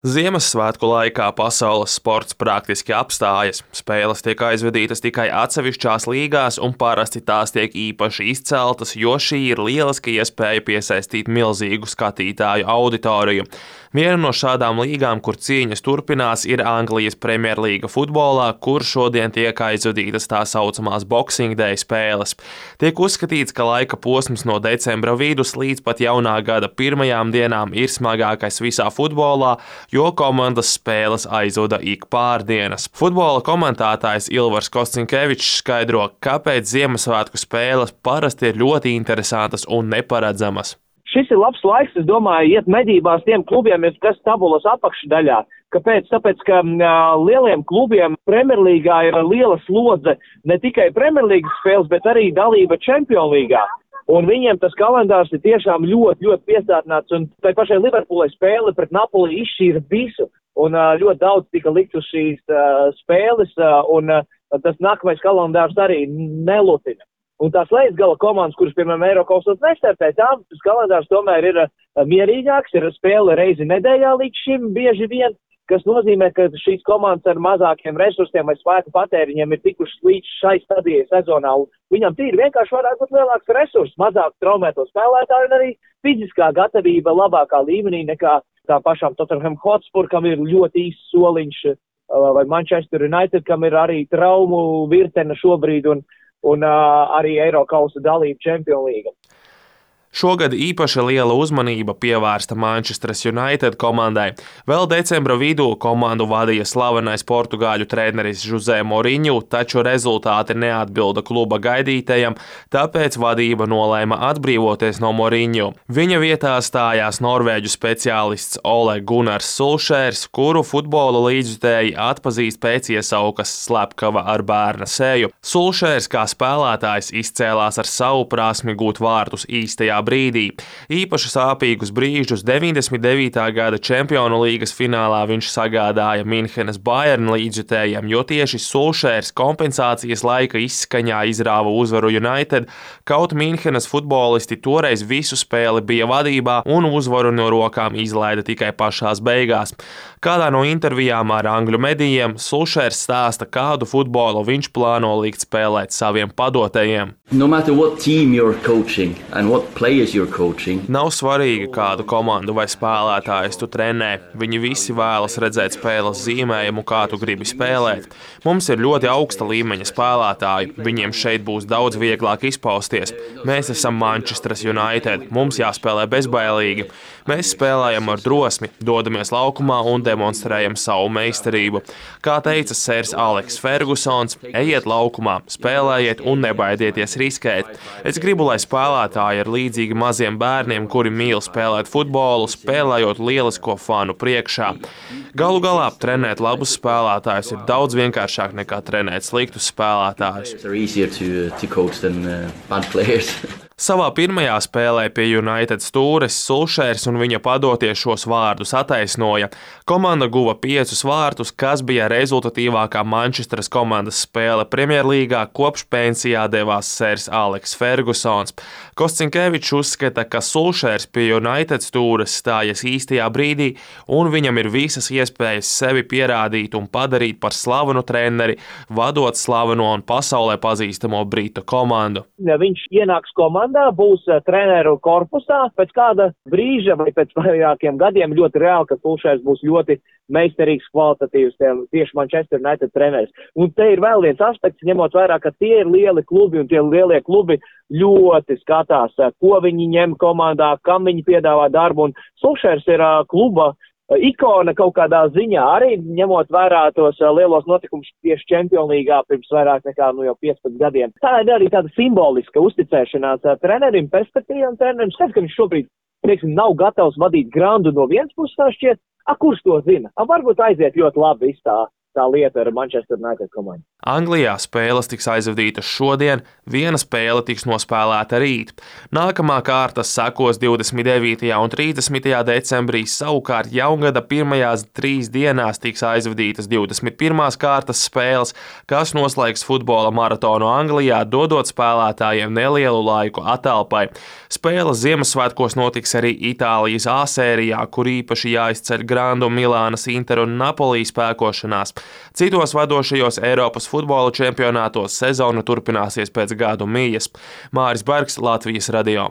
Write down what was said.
Ziemassvētku laikā pasaules sports praktiski apstājas. Spēles tiek aizvedītas tikai atsevišķās līgās, un parasti tās tiek īpaši izceltas, jo šī ir lieliska iespēja piesaistīt milzīgu skatītāju auditoriju. Viena no šādām līgām, kur cīņas turpinās, ir Anglijas Premjerlīga futbolā, kur šodien tiek aizvedītas tā saucamās Boxing Day spēles. Tiek uzskatīts, ka laika posms no decembra vidus līdz pat jaunā gada pirmajām dienām ir smagākais visā futbolā, jo komandas spēles aizvada ik pārdienas. Futbola komentētājs Ilvars Koscinkevičs skaidro, kāpēc Ziemassvētku spēles parasti ir ļoti interesantas un neparedzamas. Šis ir labs laiks, es domāju, iet medībās tiem klubiem, kas tabulas apakšdaļā. Kāpēc? Tāpēc, ka lieliem klubiem Premjerlīgā ir liela slodze ne tikai Premjerlīgas spēles, bet arī dalība Čempionlīgā. Un viņiem tas kalendārs ir tiešām ļoti piesātināts, un tai pašai Liverpoolai spēle pret Napoli izšķīra visu, un ļoti daudz tika likt uz šīs spēles, un tas nākamais kalendārs arī nelutina. Un tās lejas-gala komandas, kuras, piemēram, Eirokausos nestartē, tām tas kalendārs tomēr ir mierīgāks, ir spēle reizi nedēļā līdz šim bieži vien, kas nozīmē, ka šīs komandas ar mazākiem resursiem vai spēku patēriņiem ir tikušas līdz šai stadijai sezonā. Un viņam tīri vienkārši varētu būt lielāks resurs, mazāk traumēto spēlētāju un arī fiziskā gatavība labākā līmenī nekā tā pašām Tottenham Hotspur, kam ir ļoti īsts soliņš, vai Manchester United, kam ir arī traumu virtene šobrīd un arī Eirokausa dalība Čempionlīga. Šogad īpaši liela uzmanība pievērsta Manchester United komandai. Vēl decembra vidū komandu vadīja slavenais portugāļu treneris José Mourinho, taču rezultāti neatbilda kluba gaidītajam, tāpēc vadība nolēma atbrīvoties no Mourinho. Viņa vietā stājās norvēģu speciālists Ole Gunnars Solskjērs, kuru futbola līdzjutēji atpazīst pēc iesaukas slepkava ar bērna seju. Solskjērs kā spēlētājs izcēlās ar savu prasmi gūt vārtus īstajā brīdī. Īpaši sāpīgus brīžus 99. gada Čempionu līgas finālā viņš sagādāja Minhenes Bayern līdzjutējiem, jo tieši Solskjērs kompensācijas laika izskaņā izrāva uzvaru United, kaut Minhenes futbolisti toreiz visu spēli bija vadībā un uzvaru no rokām izlaida tikai pašās beigās. Kādā no intervijām ar angļu medijiem Solskjērs stāsta, kādu futbolu viņš plāno likt spēlēt saviem padotajiem. No matter what team you're coaching and what players you're coaching. Nav svarīgi, kādu komandu vai spēlētājus tu trenē. Viņi visi vēlas redzēt spēles zīmējumu, kā tu gribi spēlēt. Mums ir ļoti augsta līmeņa spēlētāji. Viņiem šeit būs daudz vieglāk izpausties. Mēs esam Manchester United. Mums jāspēlē bezbailīgi. Mēs spēlējam ar drosmi, dodamies laukumā un demonstrējam savu meistarību. Kā teica sērs Aleks Fergusons, ejiet laukumā, spēlējiet un nebaidieties riskēt. Es gribu, lai spēlētāji ir līdzīgi maziem bērniem, kuri mīl spēlēt futbolu, spēlējot lielisko fanu priekšā. Galu galā trenēt labus spēlētājus ir daudz vienkāršāk nekā trenēt sliktus spēlētājus. Savā pirmajā spēlē pie United stūres Solskjērs un viņa padotie šos vārdus attaisnoja. Komanda guva 5 vārtus, kas bija rezultatīvākā Manchesteras komandas spēle Premjerlīgā, kopš pensijā devās sērs Aleks Fergusons. Koscinkevičs uzskata, ka Solskjērs pie United stūres stājas īstajā brīdī un viņam ir visas iespējas sevi pierādīt un padarīt par slavenu treneri, vadot slaveno un pasaulē pazīstamo britu komandu. Viņš ienāks komandā, būs treneru korpusā, pēc kāda brīža vai pēc vairākiem gadiem ļoti reāli, ka Solskjērs būs ļoti meistarīgs, kvalitatīvs tieši Manchester United treneris. Un te ir vēl viens aspekts, ņemot vērā, ka tie ir lieli klubi un tie lielie klubi ļoti skatās, ko viņi ņem komandā, kam viņi piedāvā darbu, un Solskjērs ir kluba ikona kaut kādā ziņā, arī ņemot vērā tos lielos notikumus tieši Čempionlīgā pirms vairāk nekā jau 15 gadiem. Tā ir arī tāda simboliska uzticēšanās trenerim, perspektīvam trenerim. Skaidrs, ka viņš šobrīd, nav gatavs vadīt grandu no vienas puses, tā šķiet, kurš to zina? Varbūt aiziet ļoti labi viss tā tā lieta ar Manchester United komandu. Anglijā spēles tiks aizvadītas šodien, viena spēle tiks nospēlēta rīt. Nākamā kārtas sekos 29. un 30. decembrī, savukārt jaungada pirmajās 3 dienās tiks aizvadītas 21. kārtas spēles, kas noslēgs futbola maratonu Anglijā, dodot spēlētājiem nelielu laiku atelpai. Spēles Ziemassvētkos notiks arī Itālijas A sērijā, kur īpaši jāizceļ Grandu, Milānas, Inter un Napoli spēkošanās. Citos vadošajos Eiropas futbola čempionātos sezona turpināsies pēc gadu mijas. Māris Bergs, Latvijas radio.